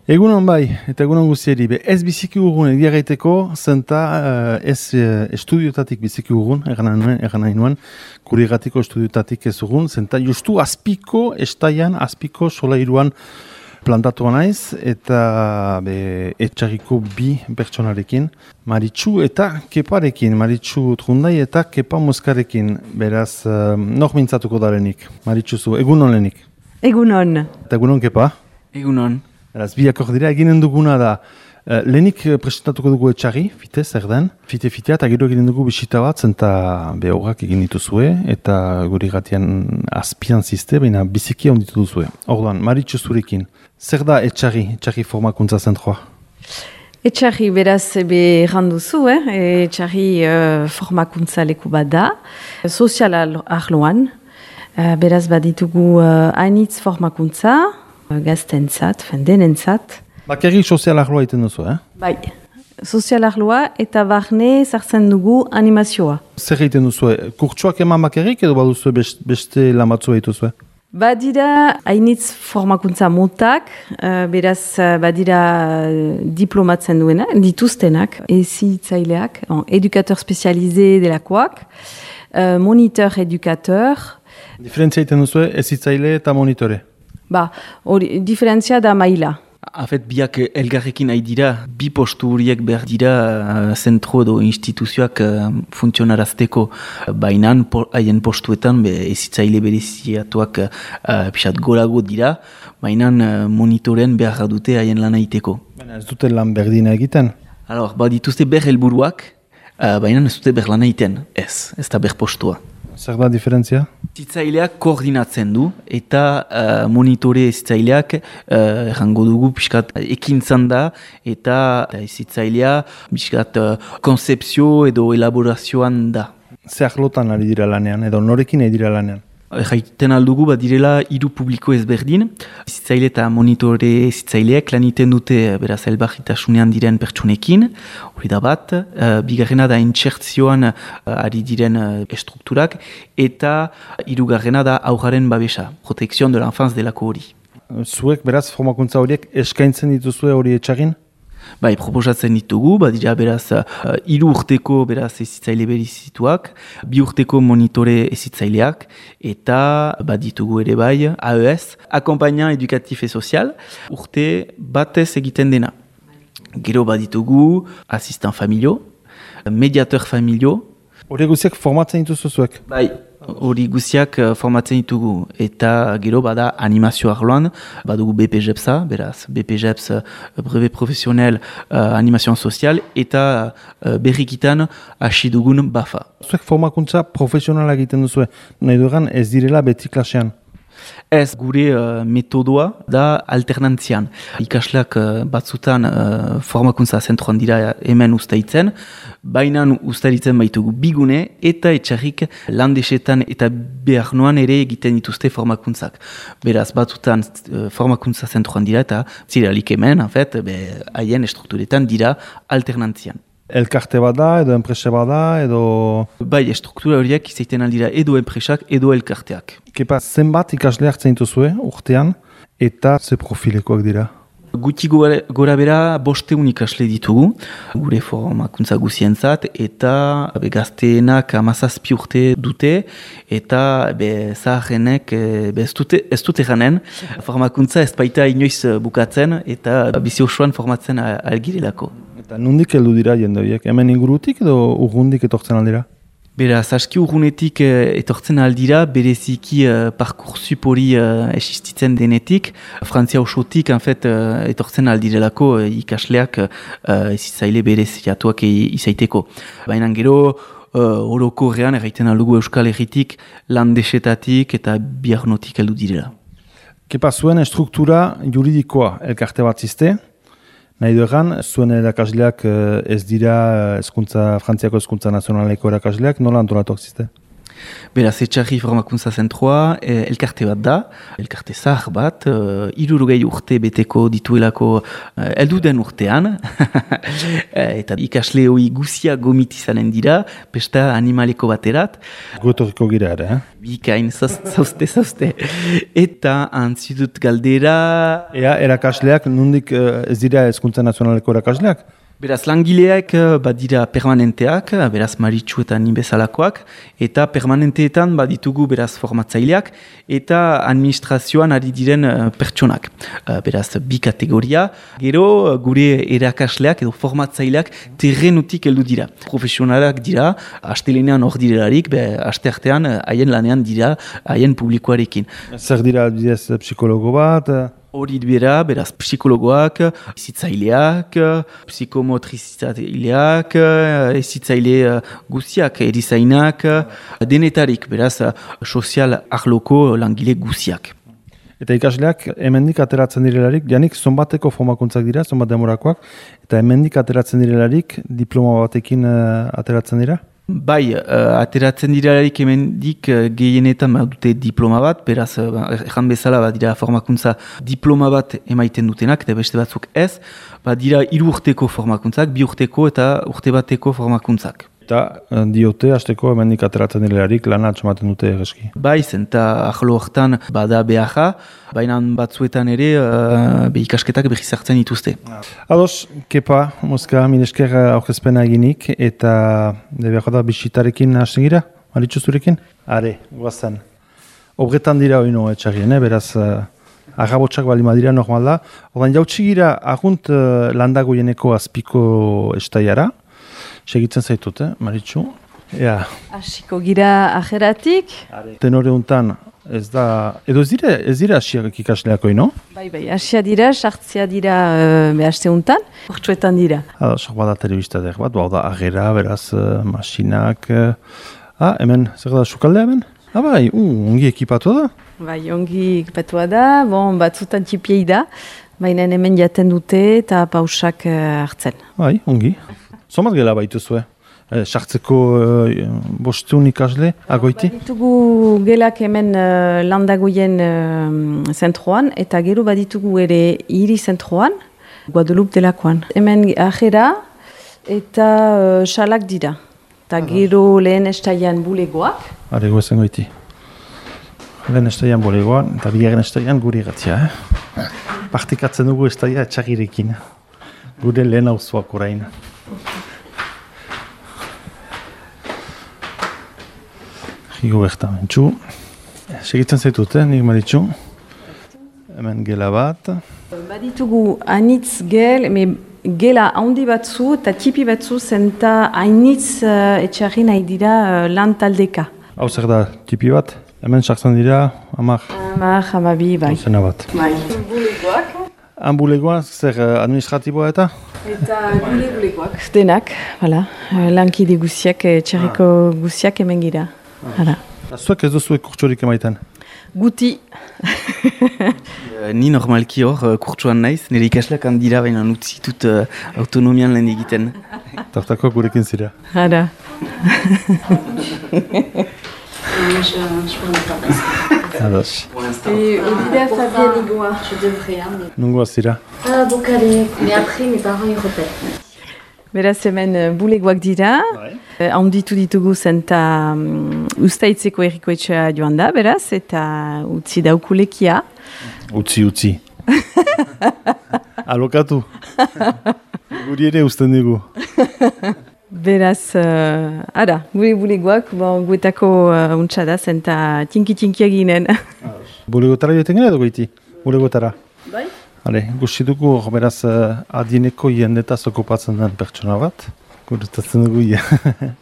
Egunon bai, eta egunon guztieri. Ez biziki urgun egia gaiteko, zenta ez estudiotatik biziki urgun, egan nahi nuen, kurigatiko estudiotatik ez urgun, zenta justu azpiko, estaian, azpiko solairuan plantatua naiz, eta etxarriko bi pertsonarekin, Maritxu eta Keparekin, Maritxu Trundai eta Kepa Moskarekin, beraz, nor mintzatuko darenik, Maritxu zu, egunon lehenik. Egunon. Eta egunon Kepa? Egunon. Beraz, biakor dira, eginen duguna da, lehenik presentatuko dugu etxarri, fite, zer den, fite-fitea, eta gero eginen dugu bisita bat, zenta behorrak egin dituzue, eta guri gatian azpian ziste, baina biziki onditu duzue. Orduan, Maritxu zurekin, zer da etxarri formakuntza zentroa? Etxarri beraz erranduzu, etxarri formakuntza leku bat da, sozial arloan, beraz baditugu hainitz formakuntza, gaztentzat, denentzat. Bakarrik sozial arloa iten duzu, Bai, sozial arloa eta barne sartzen dugu animazioa. Zer egiten duzu, kurtsuak eman bakarrik edo baduzu beste lamatzua dituzue? Badira hainitz formakuntza motak, beraz badira diplomatzen duena, dituztenak, ezitzaileak, edukateur spezialize delakoak, moniteur edukateur. Diferentzia iten duzu, ezitzaile eta monitore? Hori, diferentzia da maila. Afet, biak elgarrekin nahi dira, bi postu horiek behar dira zentro edo instituzioak funtzionarazteko. Bainan, haien postuetan, ezitzaile bereziatuak pixat gorago dira, bainan monitoren behar dute haien lana iteko. Ez dute lan berdina egiten? Dituzte ber helburuak, bainan ez dute ber lana iten, ez da ber postua. Zer da diferentzia? Zitzaileak koordinatzen du eta monitore zitzaileak errango dugu pixkat ekintzan da eta zitzailea pixkat konzepzio edo elaborazioan da. Zer lotan ari dira lanean edo norekin ari dira lanean? Jaiten aldugu direla hiru publiko ezberdin, zitzaile eta monitore zitzaileak lan iten dute beraz elbarritasunean diren pertsonekin, hori da bat, bigarrena da intsertzioan ari diren estrukturak, eta hirugarrena da aurraren babesa, protekzion de l'enfance delako hori. Zuek beraz formakuntza horiek eskaintzen dituzue hori etxarrin? Bai, proposatzen ditugu, badira beraz 3 urteko beraz ezitzaile berizituak, 2 urteko monitore ezitzaileak, eta baditugu ere bai, AES, Akompainant Edukatif et Sozial, urte batez egiten dena. Gero baditugu asistant familio, mediateur familio. Hori guziak formatzen dituzu zuek? Bai, hori guziak formatzen ditugu, eta gero bada animazio arloan, badugu BPJEPS-a, beraz, BPJEPS brevet professionnel animazioan sozial, eta berrikitan hasi dugun BAFA. Zuek formakuntza profesionala egiten duzue, nahi dueran ez direla beti klasean? Ez, gure metodoa da alternantzian. Ikasleak batzutan formakuntza zentroan dira hemen ustaitzen, baina ustaitzen baitugu bigune eta etxarrik landesetan eta behar noan ere egiten dituzte formakuntzak. Beraz, batzutan formakuntza zentroan dira eta ziralik hemen, haien estrukturetan dira alternantzian. Elkarte bada, edo enpresa bada, edo... Bai, estruktura horiek izaiten aldira edo enpresak, edo elkarteak. Kepa, zenbat ikasle hartzen dituzue urtean, eta ze profilekoak dira? Guti gora bera 500 ikasle ditugu, gure formakuntza guzientzat, eta gazteenak 17 urte dute, eta zaharrenek ez dute janen, formakuntza ez baita inoiz bukatzen, eta bizi osoan formatzen algirelako. Eta nondik heldu dira jende horiek? Hemen ingurutik edo urrundik etortzen aldira? Beraz, aski urrunetik etortzen aldira, bereziki parkursup hori existitzen denetik. Frantzia osotik, etortzen aldirelako ikasleak ezitzaile bereziatuak izaiteko. Baina gero, orokorrean erraiten aldugu Euskal Herritik, landesetatik eta biarnotik heldu direla. Kepa, zuen struktura juridikoa elkarte bat ziste? Nahi duegan, zuen erakasleak ez dira Frantziako hezkuntza nazionaleko erakasleak, nola antolatuak ziste? Beraz, Etxarri Formakuntza Zentroa elkarte bat da, elkarte zahar bat, 60 urte beteko dituelako heldu den urtean, eta ikasle hori guzia gomitizanen dira, pesta animaleko baterat. Gotoriko gira ere, Bikain, zauzte. Eta antzidut galdera... Ea, erakasleak, nondik ez dira Hezkuntza Nazionaleko erakasleak? Beraz, langileak badira permanenteak, beraz Maritxu eta ni bezalakoak, eta permanenteetan baditugu beraz formatzaileak, eta administrazioan ari diren pertsonak. Beraz, bi kategoria, gero gure erakasleak edo formatzaileak terrenutik heldu dira. Profesionalak dira, astelenean hor direlarik, asteartean haien lanean dira, haien publikoarekin. Zer dira bidez psikologo bat? Hori bera, beraz, psikologoak, ezitzaileak, psikomotrizaileak, ezitzaile guziak, erizainak, denetarik, beraz, sozial arloko langile guziak. Eta ikasleak hemendik ateratzen direlarik, janik zonbateko formakuntzak dira, zonbat demorakoak, eta hemendik ateratzen direlarik diploma batekin ateratzen dira? Bai, ateratzen direlarik hemendik gehienetan dute diploma bat, beraz, erran bezala dira formakuntza diploma bat emaiten dutenak, eta beste batzuk ez, dira 3 urteko formakuntzak, 2 urteko eta urte bateko formakuntzak. Eta diote, hasteko hemendik ateratzen direlarik lana atxamaten dute egeski. Bai, zenta ahlo hortan bada beharra, baina batzuetan ere ikasketak berriz hartzen dituzte. Ados, Kepa, Moska, minesker aurkezpena eginik, eta debiako da bisitarekin hasten gira, Maritxu zurekin? Are, guazan. Obretan dira oino etxarrien, beraz, agabotxak bali madira normal da. Ordan jautsi gira agunt landagoieneko azpiko estaiara, segitzen zaitut, Maritxu? Ea. Hasiko gira ajeratik. Tenore untan, ez da, edo ez dira asiak ikasleako, no? Bai, asia dira, sartzea dira behaste untan, urtsuetan dira. Sok bada telebista der bat, da agera, beraz, masinak. Hemen, zer da, sukaldea hemen? Bai, ongi ekipatu da? Bai, ongi ekipatua da, batzutan txipiei da, baina hemen jaten dute eta pausak hartzen. Bai, ongi. Zomat gela baituzue? Sartzeko bostun ikasle, agoiti? Baditugu gelak hemen landagoien zentroan, eta gero baditugu ere hiri zentroan, Guadalupe delakoan. Hemen ajera eta salak dira. Eta gero lehen estaian bulegoak. Arego ezen goiti. Lehen estaian bulegoan, eta bigarren estaian guri gatzia. Partikatzen dugu estaia etxagirekin. Gure lehen auzoak orain. Higo bertamentxu. Segitzen zaitut, nik Maritxu. Hemen gela bat. Baditugu anitz gela handi batzu eta tipi batzu zenta hainitz etxarri nahi dira lan taldeka. Hau zer da, tipi bat? Hemen sartzen dira, amak. Hamabi, bai. Zena bat. Bai. Bulegoak. Bulegoak, zer administratiboa eta? Eta bulegoak. Denak, lankide guziak, etxarriko guziak hemen gira. Zuek ez duzuek kurtsorik emaiten? Guti. Ni normalki hor kurtsuan naiz, nire ikasleak handira baina utzitut autonomian lehen egiten. Tartako gurekin zira. Hara. Ados. Olivia Fabien Igoa, je devrais. Nungoa zira? Donc allez, mais après mes parents ils repèrent. Beraz hemen bulegoak dira, handitu ditugu zenta ustaitzeko errikoetxea joan da, beraz, eta utzi daukulekia. Utzi. Alokatu. Guri ere usten dugu. Beraz, gure bulegoak, guetako untsa da, zenta tinki ginen. Bulegotara joeten gara edo goiti? Bulegotara? Bai. Gusti dugu, beraz, adieneko jendetaz okupatzen den pertsona bat. Gurutatzen dugu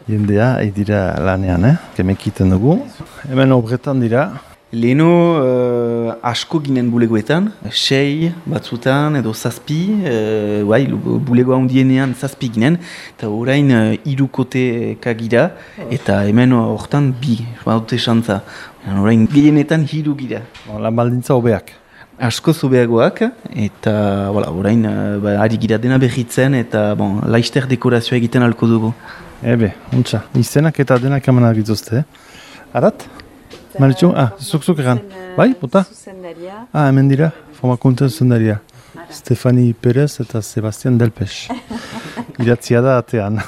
jendea, dira lanean, kemekiten dugu. Hemen obretan dira. Leheno asko ginen bulegoetan, 6 batzutan edo 7, bulegoa hundienean 7 ginen, eta orain 3 koteka gira, eta hemen hortan 2, badute xantza. Orain gehienetan 3 gira. Lan baldintza hobeak. Asko zubeagoak, eta orain ari gira dena berritzen, eta laizter dekorazioa egiten alko dugu. Untza, izenak eta denak emanak dituzte. Arat? Maritxu? Zuk egan. Bai, bota? Zuzendaria. Hemen dira, formakuntzen zuzendaria. Stefani Perez eta Sebastian Delpes. Iratzia da atean.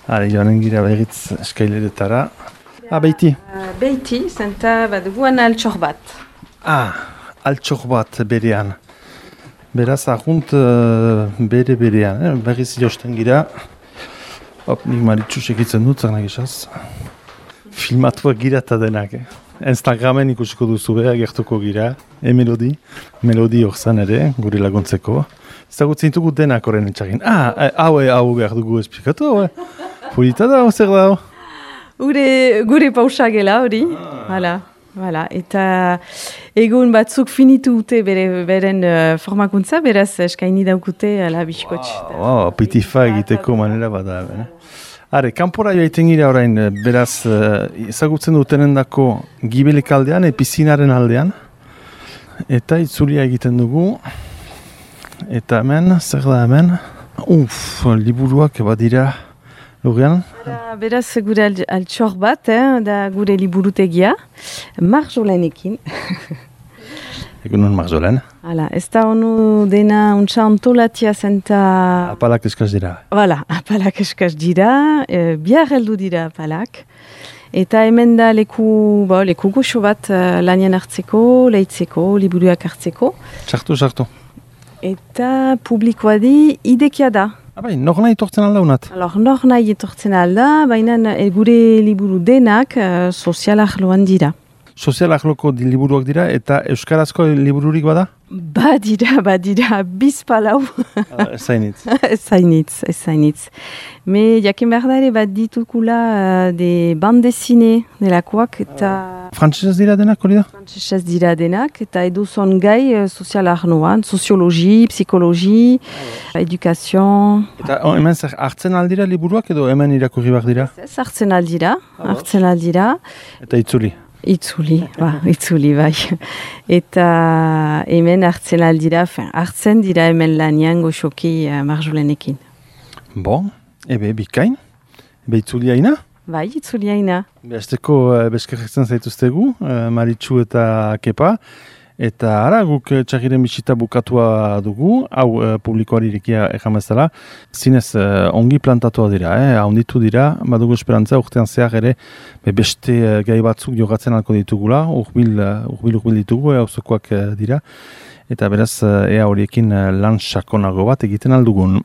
Joanen gira behitz eskaileretara. Beiti. Beiti, zenta baduguan altxor bat. Altxor bat berean. Beraz, ahunt berean. Berriz josten gira. Nik Maritxu segitzen dut, zernak esaz. Filmatuak gira eta denak. Instagramen ikusiko duzu beha, gertuko gira. Melodi horzan ere, gure laguntzeko. Zagutzen dugu denak horren etxagin. Hau behar dugu esplikatu, hau. Purita da, zer da, hau? Gure pausa gela hori. Hala. Eta egun batzuk finitu dute beren formakuntza, beraz eskaini daukute ala biskotx. Pitifa egiteko manera bada. Kanpora joaiten gira orain, beraz, ezagutzen dutenen dako gibelek aldean, pizinaren aldean. Eta itzulia egiten dugu. Eta hemen, zer da hemen? Liburuak badira logean. Beraz, gure altxor bat, da gure liburutegia. Marjolenekin. Egunon Marjolen. Ez da honu dena untsa antolatia zenta... Apalak eskaz dira. Apalak eskaz dira, bihar heldu dira apalak. Eta hemen da leku goxo bat lanien hartzeko, lehitzeko, liburuak hartzeko. Sartu. Eta publikoa di idekia da. Nor nahi etortzen alda unat? Nor nahi etortzen alda, baina gure liburu denak sozialak loan dira. Sozialak loko liburuak dira eta euskarazko libururik bada? Badira, bizpalau. Ez zainitz. Ez zainitz. Me jakin behar da ere bat ditukula de bande zine delakoak eta... Frantsesez dira denak, hori da? Frantsesez dira denak eta eduzon gai sozialak noan, soziologi, psikologi, edukazion... Eta hemen zer hartzen aldira liburuak edo hemen irakurri behar dira? Ez hartzen aldira. Eta Itzuli bai. Eta hemen hartzen dira hemen lanian goxoki Marjolenekin. Bikain? Itzuli haina? Bai, itzuli haina. Besteko beskerretzen zaituztegu, Maritxu eta Kepa. Eta guk txagiren bisita bukatua dugu, hau publikoari irekia egamezala. Zinez ongi plantatua dira, haunditu dira, badugu esperantza urtean zehar ere beste gai batzuk jogatzen alko ditugula, urbil ditugu, auzokoak dira. Eta beraz, horiekin lan sakonago bat egiten aldugun.